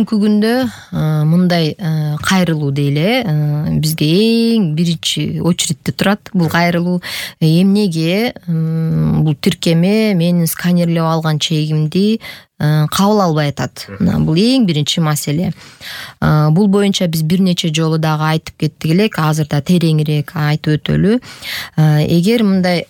Бүгүнкү күндө мындай кайрылуу дейли, бизге эң биринчи очередте турат бул кайрылуу. Эмнеге бул тиркеме менин сканерлеп алган чегимди кабыл албай атат? Бул эң биринчи маселе. Бул боюнча биз бир нече жолу дагы айтып кеттик элек, азыр да тереңирээк айтып өтөлү. Эгер мындай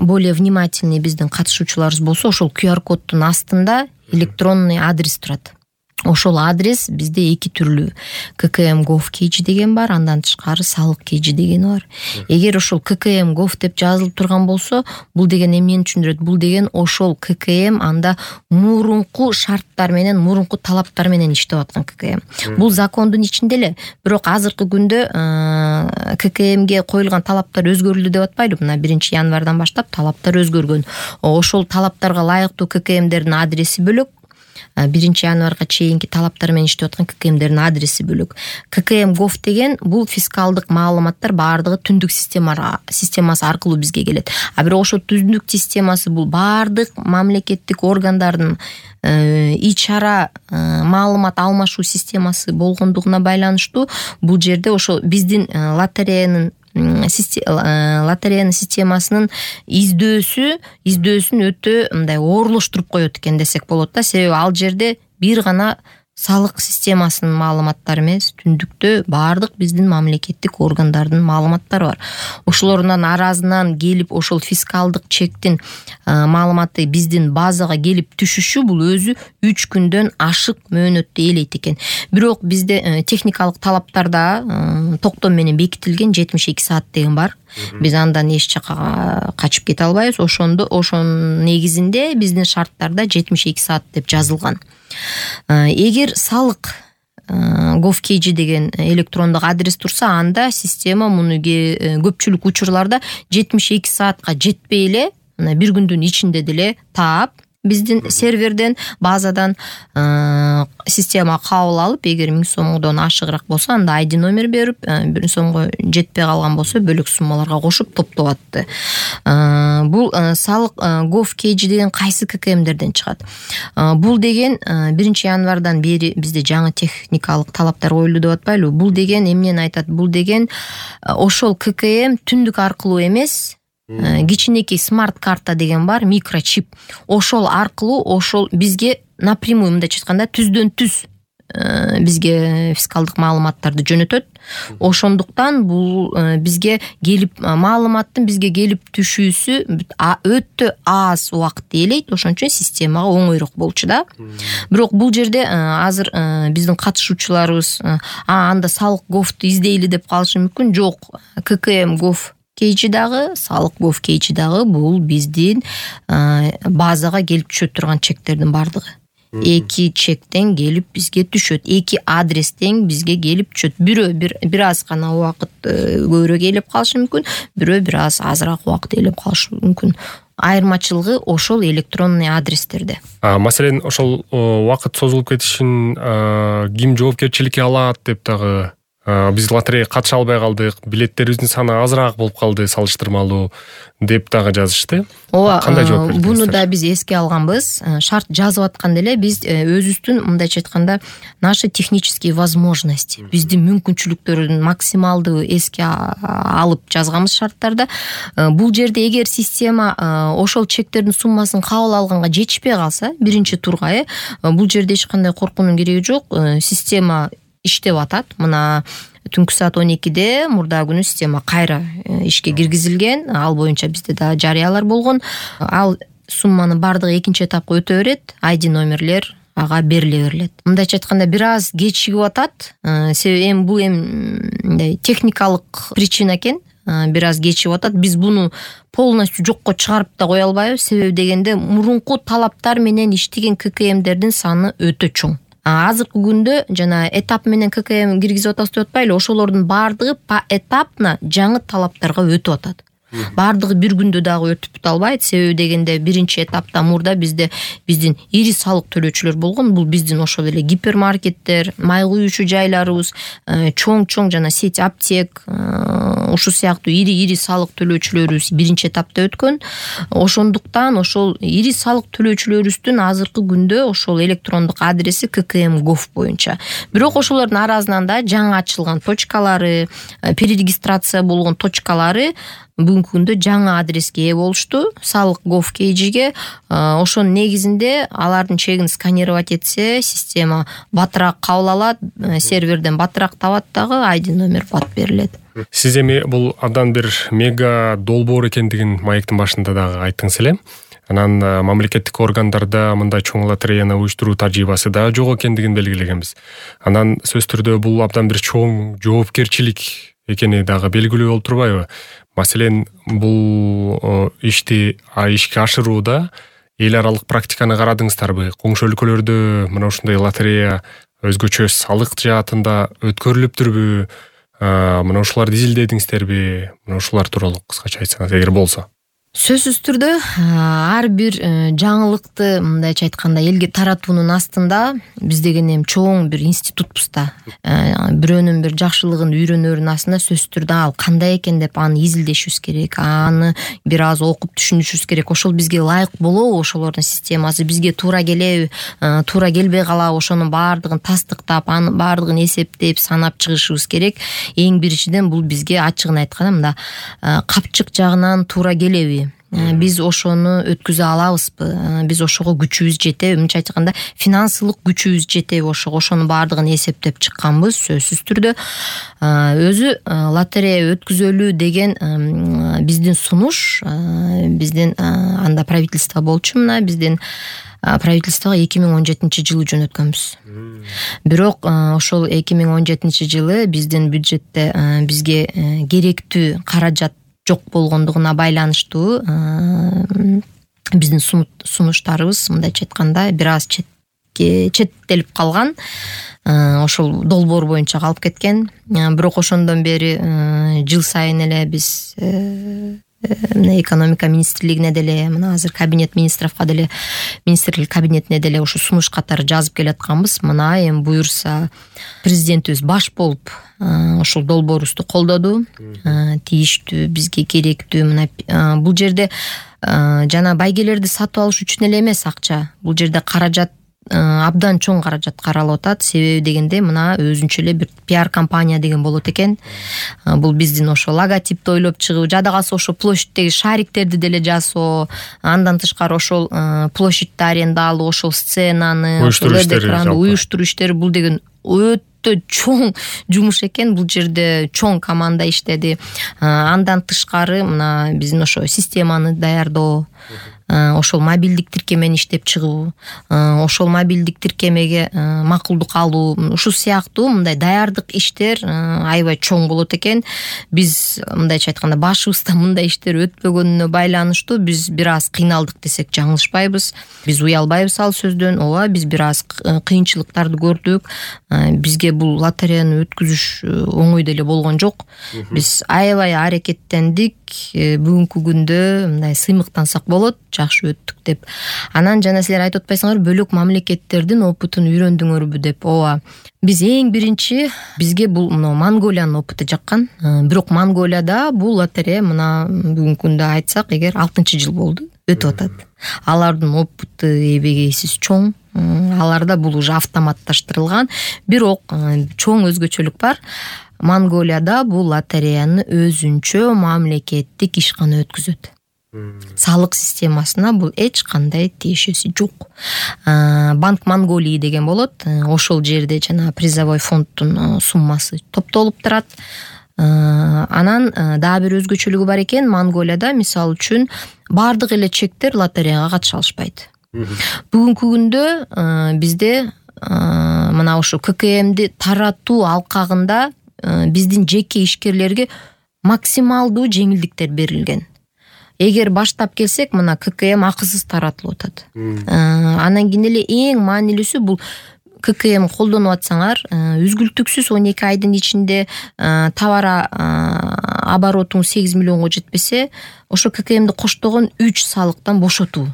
более внимательный биздин катышуучуларыбыз болсо, ошол QR коддун астында электронный адрес турат. Ошол адрес бизде эки түрлүү. kkm.gov.kg деген бар, андан тышкары салык kg деген бар. Эгер ошол kkm.gov деп жазылып турган болсо, бул деген эмнени түшүндүрөт? Бул деген ошол kkm анда мурунку шарттар менен, мурунку талаптар менен иштеп аткан kkm. Бул закондун ичинде эле, бирок азыркы күндө kkmге коюлган талаптар өзгөрүлдү деп атпайлы. Мына 1-январдан баштап талаптар өзгөргөн. Ошол талаптарга ылайыктуу kkmдердин адреси бөлөк. 1-январга чейинки талаптар менен иштеп аткан kkmдердин адреси бөлөк. kkm.gov деген бул фискалдык маалыматтар баардыгы түндүк системасы аркылуу бизге келет. А бирок ошол түндүк системасы бул баардык мамлекеттик органдардын ич ара маалымат алмашуу системасы болгондугуна байланыштуу бул жерде ошо биздин лотереянын системасынын издөөсүн өтө мындай оорлоштуруп коет экен десек болот да. Себеби ал жерде бир гана салык системасынын маалыматтары эмес, түндүктө баардык биздин мамлекеттик органдардын маалыматтары бар. Ошолордун аразынан келип ошол фискалдык чектин маалыматы биздин базага келип түшүшү бул өзү 3 күндөн ашык мөөнөттү ээлейт экен. Бирок бизде техникалык талаптарда токтом менен бекитилген 72 саат деген бар. Биз андан эч жакка качып кете албайбыз. Ошонун негизинде биздин шарттарда 72 саат деп жазылган. Эгер салык gov.kg деген электрондук адрес турса, анда система муну көпчүлүк учурларда 72 саатка жетпей эле, бир күндүн ичинде деле таап, биздин серверден, базадан система кабыл алып, эгер 1000 сомдон ашыгыраак болсо, анда ID номер берип, 1 сомго жетпей калган болсо, бөлөк суммаларга кошуп топтоп атты. Бул салык gov.kg деген кайсы kkmдерден чыгат? Бул деген 1-январдан бери бизде жаңы техникалык талаптар коюлду деп атпайлы? Бул деген эмнени айтат? Бул деген ошол kkm түндүк аркылуу эмес, кичинекей смарт карта деген бар, микрочип. Ошол аркылуу ошол бизге напрямую, мындайча айтканда, түздөн түз бизге фискалдык маалыматтарды жөнөтөт. Ошондуктан бул бизге келип маалыматтын бизге келип түшүүсү өтө аз убакыт ээлейт. Ошон үчүн системага оңойрок болчу да. Бирок бул жерде азыр биздин катышуучуларыбыз анда салык gov'ту издейли деп калышы мүмкүн. Жок, kkm.gov.kg дагы, салык gov.kg дагы бул биздин базага келип түшө турган чектердин бардыгы. Эки чектен келип бизге түшөт, эки адрестен бизге келип түшөт. Бирөө бир аз гана убакыт көбүрөөк ээлеп калышы мүмкүн, бирөө бир аз азыраак убакыт ээлеп калышы мүмкүн. Айырмачылыгы ошол электронный адрестерде. Маселен, ошол убакыт созулуп кетишин ким жоопкерчиликке алат деп дагы биз лотереяга катыша албай калдык, билеттерибиздин саны азыраак болуп калды салыштырмалуу деп дагы жазышты. Кандай жооп бердиңиз? Буну да биз эске алганбыз. Шарт жазып атканда эле биз өзүбүздүн, мындайча айтканда, наши технические возможности, биздин мүмкүнчүлүктөрүн максималдуу эске алып жазганбыз шарттарда. Бул жерде эгер система ошол чектердин суммасын кабыл алганга жетишпей калса, биринчи турга, бул жерде эч кандай коркуунун кереги жок. Система иштеп атат. Мына түнкү саат 12-де мурда күнү система кайра ишке киргизилген. Ал боюнча бизде да жарыялар болгон. Ал сумманы бардыгы экинчи этапка өтө берет. ID номерлер ага бериле берилет. Мындайча айтканда бир аз кечигип атат. Себеби бул техникалык причина экен. Бир аз кечигип атат. Биз буну полностью жокко чыгарып да кое албайбыз. Себеби дегенде мурунку талаптар менен иштеген kkmдердин саны өтө чоң. Азыркы күндө жана этап менен kkm киргизип атабыз деп атпайлы, ошолордун баардыгы по этапно жаңы талаптарга өтүп атат. Баардыгы бир күндө дагы өтүп бута албайт. Себеби дегенде биринчи этапта мурда биздин ири салык төлөөчүлөр болгон. Бул биздин ошол эле гипермаркеттер, май куюучу жайларыбыз, чоң жана сеть аптек, ушул сыяктуу ири салык төлөөчүлөрүбүз биринчи этапта өткөн. Ошондуктан ошол ири салык төлөөчүлөрүбүздүн азыркы күндө ошол электрондук адреси ККМ.Gov боюнча. Бирок ошолордун арасынан да жаңы ачылган точкалары, перерегистрация болгон точкалары бүгүнкү күндө жаңы адреске ээ болушту. Салык Gov KG'ге ошонун негизинде алардын чегин сканировать этсе, система батыраак кабыл алат, серверден батыраак табат дагы, ID номер бат берилет. Сиз эми бул абдан бир мега долбоор экендигин маектин башында дагы айттыңыз эле. Анан мамлекеттик органдарда мындай чоң лотереяны уюштуруу тажрыйбасы да жок экендигин белгилегенбиз. Анан сөзсүз түрдө бул абдан бир чоң жоопкерчилик экени дагы белгилүү болуп турбайбы? Маселен, бул ишти ишке ашырууда эл аралык практиканы карадыңыздарбы? Коңшу өлкөлөрдө мына ушундай лотерея өзгөчө салык жаатында өткөрүлүптүрбү? Мына ушуларды изилдедиңиздерби? Мына ушулар тууралуу кыскача айтсаңыз, эгер болсо. Сөзсүз түрдө ар бир жаңылыкты мындайча айтканда элге таратуунун астында биз деген эми чоң бир институтпуз да. Бирөөнүн бир жакшылыгын үйрөнөрүн астында сөзсүз түрдө ал кандай экен деп аны изилдешибиз керек, аны бир аз окуп түшүнүшүбүз керек. Ошол бизге ылайык болобу, ошолордун системасы бизге туура келеби, туура келбей калабы, ошонун баардыгын тастыктап, анын баардыгын эсептеп, санап чыгышыбыз керек. Эң биринчиден бул бизге ачыгын айтканда мында капчык жагынан туура келеби? Биз ошону өткүзө алабызбы? Биз ошого күчүбүз жетеби? Мынча айтканда, финансылык күчүбүз жетеби? Ошонун баардыгын эсептеп чыкканбыз. Сөзсүз түрдө өзү лотерея өткүзөлүү деген биздин сунуш, биздин анда правительство болчу, мына биздин правительствого 2017-жылы жөнөткөнбүз. Бирок ошол 2017-жылы биздин бюджетте бизге керектүү каражат жок болгондугуна байланыштуу биздин сунуштарыбыз мындайча айтканда бир аз четтелип калган. Ошол долбоор боюнча калып кеткен. Бирок ошондон бери жыл сайын эле биз мына экономика министрлигине деле, мына азыр кабинет министровго деле, министрлик кабинетине деле ушу сунуш катары жазып келатканбыз. Мына эми буюрса президентибиз баш болуп ошол долбоорубузду колдоду. Тийиштүү, бизге керектүү. Мына бул жерде жана байгелерди сатып алыш үчүн эле эмес акча. Бул жерде каражат, абдан чоң каражат каралып атат. Себеби дегенде мына өзүнчө эле бир пиар компания деген болот экен. Бул биздин ошо логотипти ойлоп чыгуу, жада калса ошо площадьтеги шариктерди деле жасоо, андан тышкары ошол площадьти аренда алуу, ошол сценаны, уюштуруу иштери, бул деген өтө чоң жумуш экен. Бул жерде чоң команда иштеди. Андан тышкары мына биздин ошо системаны даярдоо, ошол мобилдик тиркемени иштеп чыгуу, ошол мобилдик тиркемеге макулдук алуу, ушул сыяктуу мындай даярдык иштер аябай чоң болот экен. Биз мындайча айтканда башыбызда мындай иштер өтпөгөнүнө байланыштуу биз бир аз кыйналдык десек жаңылышпайбыз. Биз уялбайбыз ал сөздөн. Ооба, биз бир аз кыйынчылыктарды көрдүк. Бизге бул лотереяны өткүзүш оңой деле болгон жок. Биз аябай аракеттендик. Бүгүнкү күндө мындай сыймыктансак болот, жакшы өттүк деп. Анан жана силер айтып атпайсыңарбы, бөлөк мамлекеттердин опытын үйрөндүңөрбү деп. Ооба. Биз эң биринчи бизге бул мына Монголиянын опыты жаккан. Бирок Монголияда бул лотерея мына бүгүнкү күндө айтсак, эгер 6-жыл болду өтүп атат. Алардын опыты эбегейсиз чоң. Аларда бул уже автоматташтырылган. Бирок чоң өзгөчөлүк бар. Монголияда бул лотереяны өзүнчө мамлекеттик ишкана өткүзөт. Салык системасына бул эч кандай тиешеси жок. Банк Монголии деген болот. Ошол жерде жана призовой фонддун суммасы топтолуп турат. Анан дагы бир өзгөчөлүгү бар экен. Монголияда мисалы үчүн бардык эле чектер лотереяга катыша алышпайт. Бүгүнкү күндө бизде мына ушу ККМди таратуу алкагында биздин жеке ишкерлерге максималдуу жеңилдиктер берилген. Эгер баштап келсек, мына ККМ акысыз таратылып атат. Анан кийин эле эң маанилүүсү бул ККМ колдонуп атсаңар, үзгүлтүксүз 12 айдын ичинде товар оборотуңуз 8 миллионго жетпесе, ошо ККМди коштогон 3 салыктан бошотуу.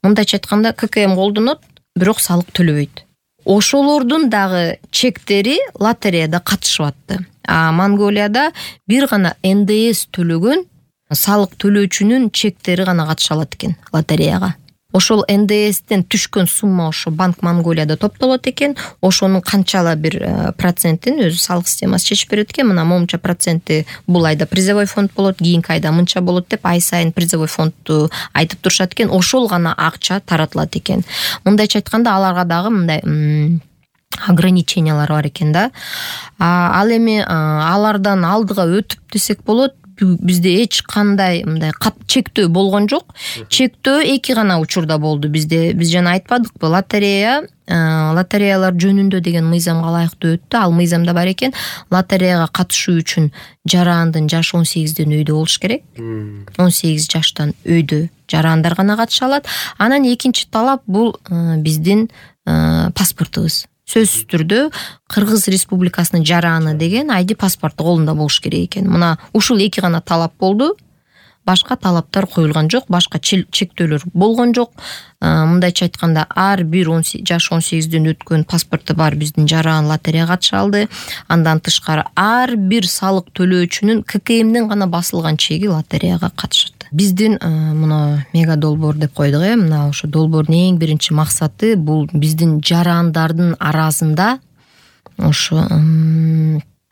Мындайча айтканда, ККМ колдонот, бирок салык төлөбөйт. Ошолордун дагы чектери лотереяда катышып атты. Монголияда бир гана НДС төлөгөн салык төлөөчүнүн чектери гана катыша алат экен лотереяга. Ошол НДСтен түшкөн сумма ошо Банк Монголияда топтолот экен. Ошонун канчала бир процентин өзү салык системасы чечип берет экен. Мына момунча проценти бул айда призовой фонд болот, кийинки айда мынча болот деп ай сайын призовой фондду айтып турушат экен. Ошол гана акча таратылат экен. Мындайча айтканда, аларга дагы мындай ограничениялар бар экен да. Ал эми алардан алдыга өтүп десек болот. Бизде эч кандай мындай чектөө болгон жок. Чектөө эки гана учурда болду бизде. Биз жана айтпадыкпы, лотереялар жөнүндө деген мыйзамга ылайыктуу өттү. Ал мыйзамда бар экен, лотереяга катышуу үчүн жарандын жашы 18ден өйдө болуш керек. 18 жаштан өйдө жарандар гана катыша алат. Анан экинчи талап бул биздин паспортубуз. Сөзсүз түрдө Кыргыз Республикасынын жараны деген ID паспорту колунда болуш керек экен. Мына ушул эки гана талап болду. Башка талаптар коюлган жок, башка чектөөлөр болгон жок. Мындайча айтканда, ар бир жаш 18ден өткөн паспорту бар биздин жаран лотереяга катыша алды. Андан тышкары ар бир салык төлөөчүнүн ККМдин гана басылган чеги лотереяга катышат. Биздин мына мега долбоор деп койдук, мына ошо долбоордун эң биринчи максаты бул биздин жарандардын арасында ошо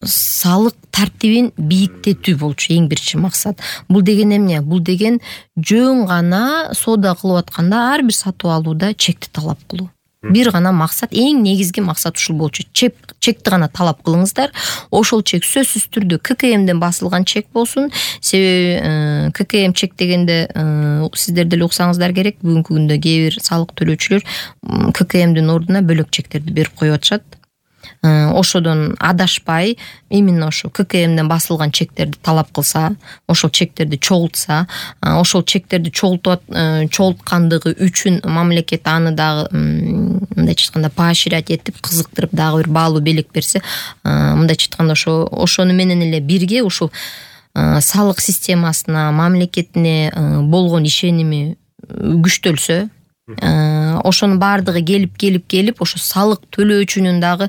салык тартибин бийиктетүү болчу эң биринчи максат. Бул деген эмне? Бул деген жөн гана соода кылып атканда ар бир сатып алууда чекти талап кылуу. Бир гана максат, эң негизги максат ушул болчу. Чекти гана талап кылыңыздар. Ошол чек сөзсүз түрдө ККМден басылган чек болсун. Себеби ККМ чек дегенде сиздер деле уксаңыздар керек, бүгүнкү күндө кээ бир салык төлөөчүлөр ККМдин ордуна бөлөк чектерди берип коюп атышат. Ошодон адашпай именно ошо ККМден басылган чектерди талап кылса, ошол чектерди чогултса, ошол чектерди чогулткандыгы үчүн мамлекет аны дагы мындайча айтканда поощрять этип, кызыктырып дагы бир баалуу белек берсе, мындайча айтканда ошону менен эле бирге ушул салык системасына, мамлекетине болгон ишеними күчтөлсө, ошонун баардыгы келип ошо салык төлөөчүнүн дагы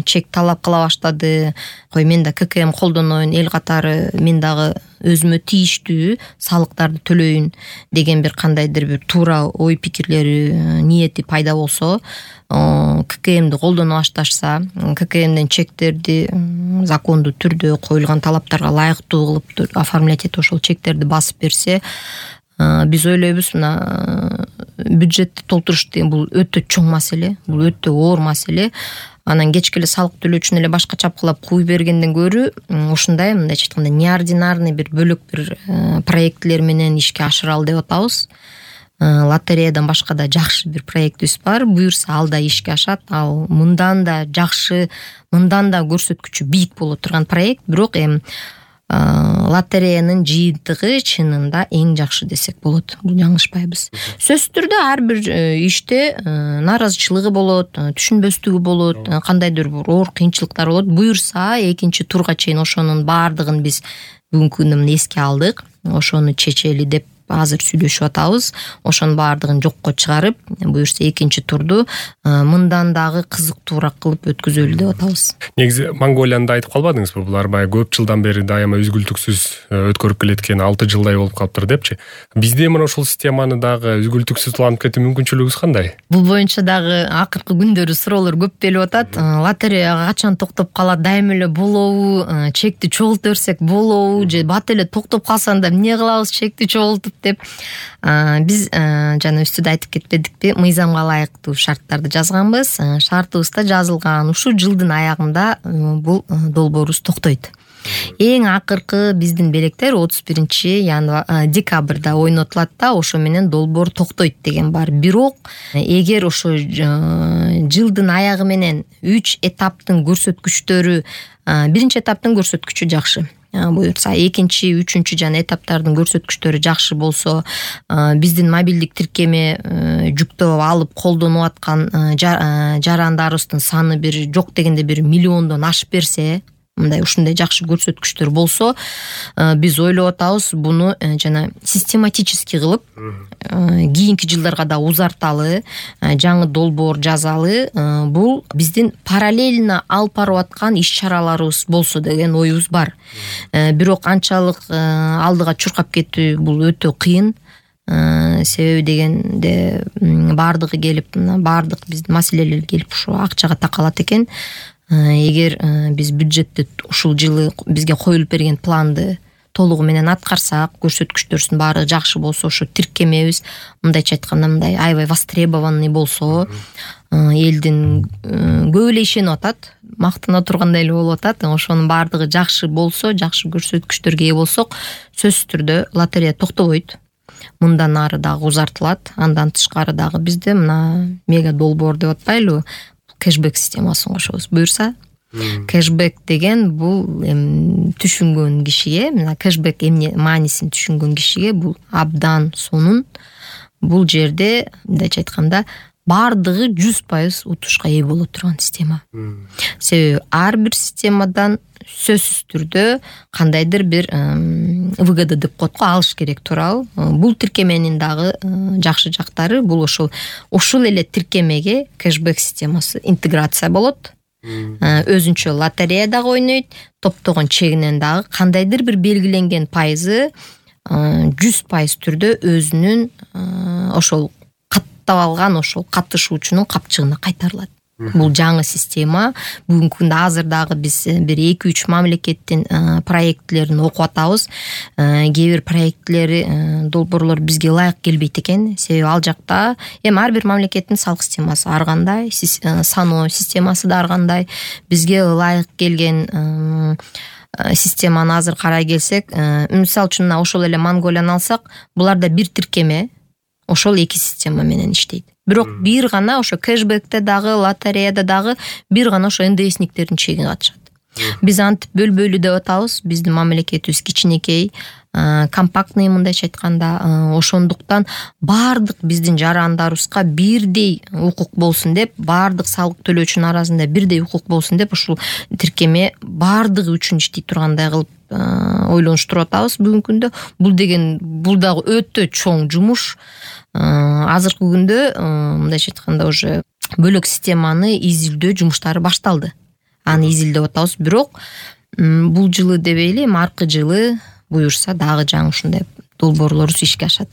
чек талап кыла баштады. Кой, мен да ККМ колдоноюн, эл катары мен дагы өзүмө тийиштүү салыктарды төлөйүн деген бир кандайдыр бир туура ой пикирлери, ниети пайда болсо, ККМди колдоно башташса, ККМден чектерди закондуу түрдө коюлган талаптарга ылайыктуу кылып оформлять этип ошол чектерди басып берсе, биз ойлойбуз, мына бюджетти толтуруш деген бул өтө чоң маселе, бул өтө оор маселе. Анан кечке эле салык төлөөчүнү эле башка чапкылап куй бергенден көрү, ушундай мындайча айтканда неординарный бир бөлөк бир проектлер менен ишке ашыралы деп атабыз. Лотереядан башка да жакшы бир проектибиз бар. Буюрса ал да ишке ашат. Ал мындан да жакшы, мындан да көрсөткүчү бийик боло турган проект, бирок лотереянын жыйынтыгы чынында эң жакшы десек болот. Бул жаңылышпайбыз. Сөзсүз түрдө ар бир иште нааразычылыгы болот, түшүнбөстүгү болот, кандайдыр бир оор кыйынчылыктар болот. Буюрса экинчи турга чейин ошонун баардыгын биз бүгүнкү күндө эске алдык. Ошону чечели деп азыр сүйлөшүп атабыз. Ошонун баардыгын жокко чыгарып, буюрса экинчи турду мындан дагы кызыктуураак кылып өткүзөлү деп атабыз. Негизи Монголияны айтып калбадыңызбы? Булар баягы көп жылдан бери дайыма үзгүлтүксүз өткөрүп келеткени 6 жылдай болуп калыптыр депчи. Бизде мына ушул системаны дагы үзгүлтүксүз улантып кетүү мүмкүнчүлүгүбүз кандай? Бул боюнча дагы акыркы күндөрү суроолор көп келип атат. Лотереяга качан токтоп калат, дайыма эле болобу, чекти чогулта берсек болобу, же бат эле токтоп калса анда эмне кылабыз чекти чогултуп деп. Биз жана үстүдө айтып кетпедикпи, мыйзамга ылайыктуу шарттарды жазганбыз. Шартыбызда жазылган ушул жылдын аягында бул долбоорубуз токтойт. Эң акыркы биздин белектер 31 декабрда ойнотулат да, ошо менен долбоор токтойт деген бар. Бирок эгер ошо жылдын аягы менен 3 этаптын көрсөткүчтөрү, биринчи этаптын көрсөткүчү жакшы. буюрса, экинчи, үчүнчү жана этаптардын көрсөткүчтөрү жакшы болсо, биздин мобилдик тиркеме жүктөп алып колдонуп аткан жарандарыбыздын саны бир жок дегенде бир миллиондон ашып берсе, мындай ушундай жакшы көрсөткүчтөр болсо, биз ойлоп атабыз буну жана систематически кылып кийинки жылдарга да узарталы, жаңы долбоор жазалы. Бул биздин параллельно алып барып аткан иш-чараларыбыз болсо деген оюбуз бар. Бирок анчалык алдыга чуркап кетүү бул өтө кыйын. Себеби дегенде баардыгы келип, баардык биздин маселелер келип ушу акчага такалат экен. Эгер биз бюджетти ушул жылы бизге коюлуп берген планды толугу менен аткарсак, көрсөткүчтөрүбүздүн баары жакшы болсо, ошо тиркемебиз мындайча айтканда мындай аябай востребованный болсо, элдин көп эле ишенип атат, мактана тургандай эле болуп атат. Ошонун баардыгы жакшы болсо, жакшы көрсөткүчтөргө ээ болсок, сөзсүз түрдө лотерея токтобойт. Мындан ары дагы узартылат. Андан тышкары дагы бизде мына мега долбоор деп атпайлыбы, кэшбэк системасын кошобуз. Буюрса, кэшбэк деген бул түшүнгөн кишиге, мына кэшбэк эмне маанисин түшүнгөн кишиге бул абдан сонун. Бул жерде мындайча айтканда баардыгы 100% утушка ээ боло турган система. Себеби ар бир системадан сөзсүз түрдө кандайдыр бир выгода деп коет го, алыш керек, туурабы? Бул тиркеменин дагы жакшы жактары бул ушул эле тиркемеге кэшбэк системасы интеграция болот. Өзүнчө лотерея дагы ойнойт, топтогон чегинен дагы кандайдыр бир белгиленген пайызы 100% түрдө өзүнүн ошол каттап алган ошол катышуучунун капчыгына кайтарылат. Бул жаңы система. Бүгүнкү күндө азыр дагы биз бир 2-3 мамлекеттин проектлерин окуп атабыз. Кээ бир проектлери, долбоорлор бизге ылайык келбейт экен. Себеби ал жакта ар бир мамлекеттин салык системасы ар кандай, саноо системасы да ар кандай. Бизге ылайык келген системаны азыр карай келсек, мисалы үчүн ошол эле Монголияны алсак, буларда бир тиркеме ошол 2 система менен иштейт. Бирок бир гана ошо кэшбэкте дагы, лотереяда дагы бир гана ошо НДСниктердин чеги катышат. Биз антип бөлбөйлү деп атабыз. Биздин мамлекетибиз кичинекей, компактный мындайча айтканда. Ошондуктан баардык биздин жарандарыбызга бирдей укук болсун деп, баардык салык төлөөчүнүн арасында бирдей укук болсун деп, ушул тиркеме баардыгы үчүн иштей тургандай кылып ойлонуштуруп атабыз бүгүнкү күндө. Бул дагы өтө чоң жумуш. Азыркы күндө мындайча айтканда уже бөлөк системаны изилдөө жумуштары башталды. Аны изилдеп атабыз, бирок бул жылы дебейли, аркы жылы буюрса дагы жаңы ушундай долбоорлорубуз ишке ашат.